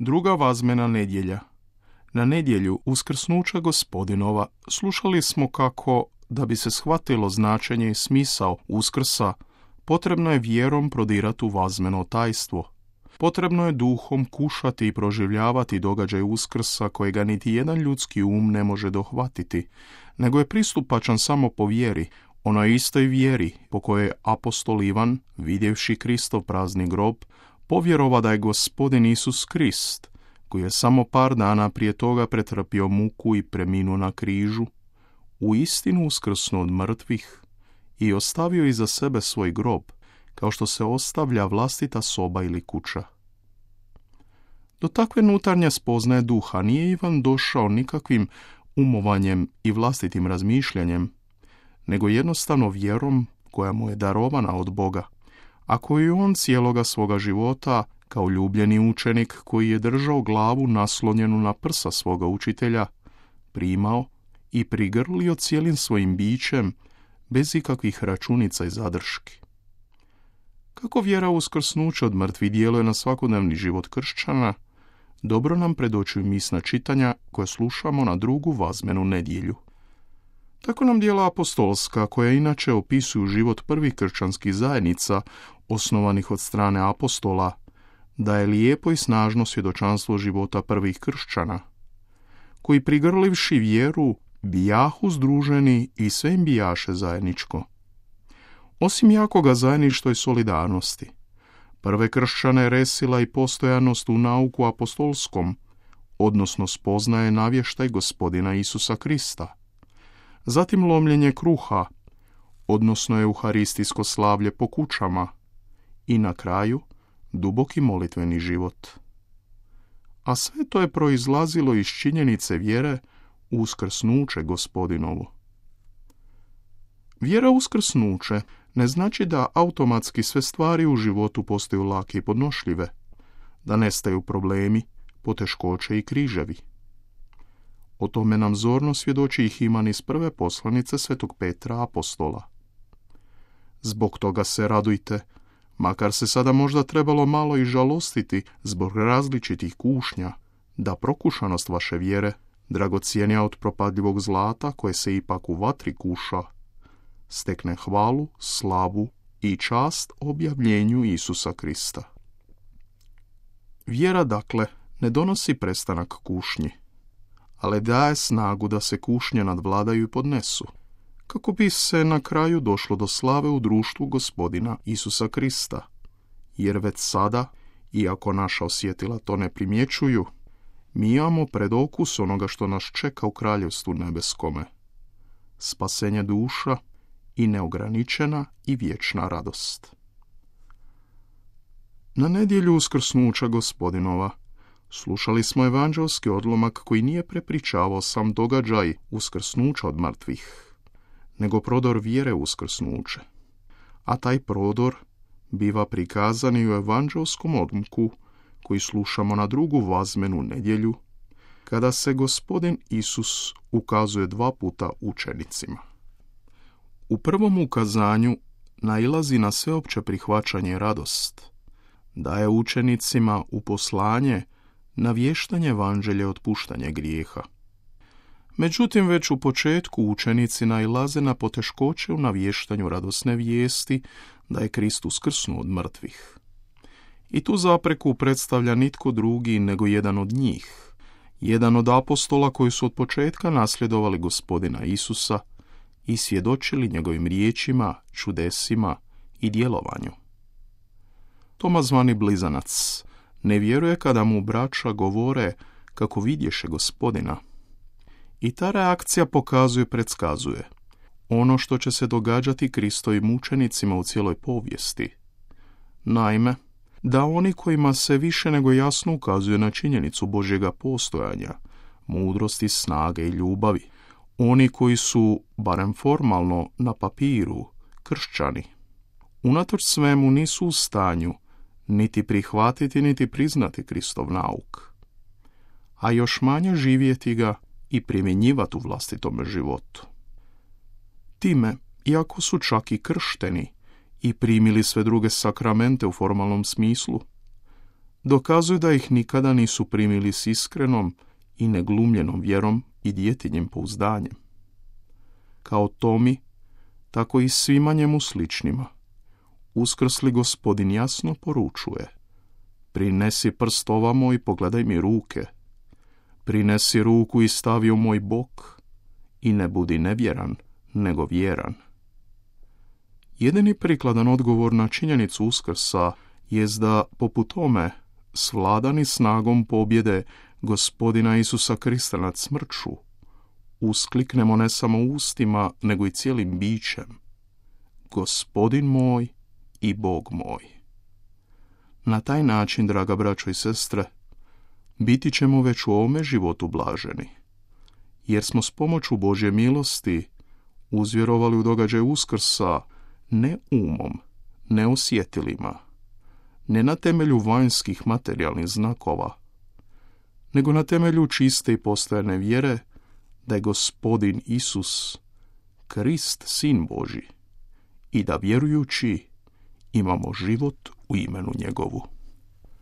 Druga vazmena nedjelja. Na nedjelju uskrsnuća Gospodinova slušali smo kako, da bi se shvatilo značenje i smisao uskrsa, potrebno je vjerom prodirati u vazmeno tajstvo. Potrebno je duhom kušati i proživljavati događaj uskrsa kojega niti jedan ljudski um ne može dohvatiti, nego je pristupačan samo po vjeri, onoj istoj vjeri po kojoj je apostol Ivan, vidjevši Kristov prazni grob, povjerova da je Gospodin Isus Krist, koji je samo par dana prije toga pretrpio muku i preminuo na križu, u istinu uskrsnuo od mrtvih i ostavio iza sebe svoj grob, kao što se ostavlja vlastita soba ili kuća. Do takve nutarnje spoznaje duha nije Ivan došao nikakvim umovanjem i vlastitim razmišljanjem, nego jednostavno vjerom koja mu je darovana od Boga, a koju on cijeloga svoga života, kao ljubljeni učenik koji je držao glavu naslonjenu na prsa svoga učitelja, primao i prigrlio cijelim svojim bićem, bez ikakvih računica i zadrški. Kako vjera uskrsnuća od mrtvih djeluje na svakodnevni život kršćana, dobro nam predočuju misna čitanja koje slušamo na drugu vazmenu nedjelju. Tako nam djela apostolska, koja inače opisuju život prvih kršćanskih zajednica, osnovanih od strane apostola, daje lijepo i snažno svjedočanstvo života prvih kršćana, koji prigrlivši vjeru, bijahu združeni i sve im bijaše zajedničko. Osim jakoga zajedništva i solidarnosti, prve kršćane resila i postojanost u nauku apostolskom, odnosno spoznaje navještaj Gospodina Isusa Krista. Zatim lomljenje kruha, odnosno euharistijsko slavlje po kućama i na kraju duboki molitveni život. A sve to je proizlazilo iz činjenice vjere u uskrsnuće Gospodinovo. Vjera u uskrsnuće ne znači da automatski sve stvari u životu postaju lake i podnošljive, da nestaju problemi, poteškoće i križevi. O tome nam zorno svjedoči i Himan iz prve poslanice svetog Petra apostola. Zbog toga se radujte, makar se sada možda trebalo malo i žalostiti zbog različitih kušnja, da prokušanost vaše vjere, dragocjenija od propadljivog zlata koje se ipak u vatri kuša, stekne hvalu, slavu i čast objavljenju Isusa Krista. Vjera, dakle, ne donosi prestanak kušnji, ali daje snagu da se kušnje nadvladaju i podnesu, kako bi se na kraju došlo do slave u društvu Gospodina Isusa Krista, jer već sada, iako naša osjetila to ne primjećuju, mi imamo predokus onoga što nas čeka u kraljevstvu nebeskome. Spasenje duša i neograničena i vječna radost. Na nedjelju uskrsnuća Gospodinova slušali smo evanđelski odlomak koji nije prepričavao sam događaj uskrsnuća od mrtvih, nego prodor vjere uskrsnuće. A taj prodor biva prikazan i u evanđelskom odlomku koji slušamo na drugu vazmenu nedjelju, kada se Gospodin Isus ukazuje 2 puta učenicima. U prvom ukazanju nailazi na sveopće prihvaćanje i radost, daje učenicima u poslanje navještanje evanđelja i otpuštanje grijeha. Međutim, već u početku učenici nailaze na poteškoće u navještanju radosne vijesti da je Kristus uskrsnuo od mrtvih. I tu zapreku predstavlja nitko drugi nego jedan od njih, jedan od apostola koji su od početka nasljedovali Gospodina Isusa i svjedočili njegovim riječima, čudesima i djelovanju. Toma, zvani Blizanac, ne vjeruje kada mu braća govore kako vidješe Gospodina. I ta reakcija pokazuje, predskazuje ono što će se događati Kristovim učenicima u cijeloj povijesti. Naime, da oni kojima se više nego jasno ukazuje na činjenicu Božjega postojanja, mudrosti, snage i ljubavi, oni koji su, barem formalno, na papiru, kršćani, unatoč svemu nisu u stanju niti prihvatiti, niti priznati Kristov nauk, a još manje živjeti ga i primjenjivati u vlastitome životu. Time, iako su čak i kršteni i primili sve druge sakramente u formalnom smislu, dokazuju da ih nikada nisu primili s iskrenom i neglumljenom vjerom i djetinjim pouzdanjem. Kao Tomi, tako i svima njemu sličnima, uskrsli Gospodin jasno poručuje: prinesi prst ovamo i pogledaj mi ruke, prinesi ruku i stavi u moj bok i ne budi nevjeran, nego vjeran. Jedini prikladan odgovor na činjenicu Uskrsa jest da, poput tome, svladani snagom pobjede Gospodina Isusa Krista nad smrću, uskliknemo ne samo ustima, nego i cijelim bićem: Gospodin moj i Bog moj. Na taj način, draga braćo i sestre, biti ćemo već u ovome životu blaženi, jer smo s pomoću Božje milosti uzvjerovali u događaj Uskrsa ne umom, ne osjetilima, ne na temelju vanjskih materijalnih znakova, nego na temelju čiste i postojane vjere da je Gospodin Isus Krist, Sin Božji, i da vjerujući imamo život u imenu njegovu.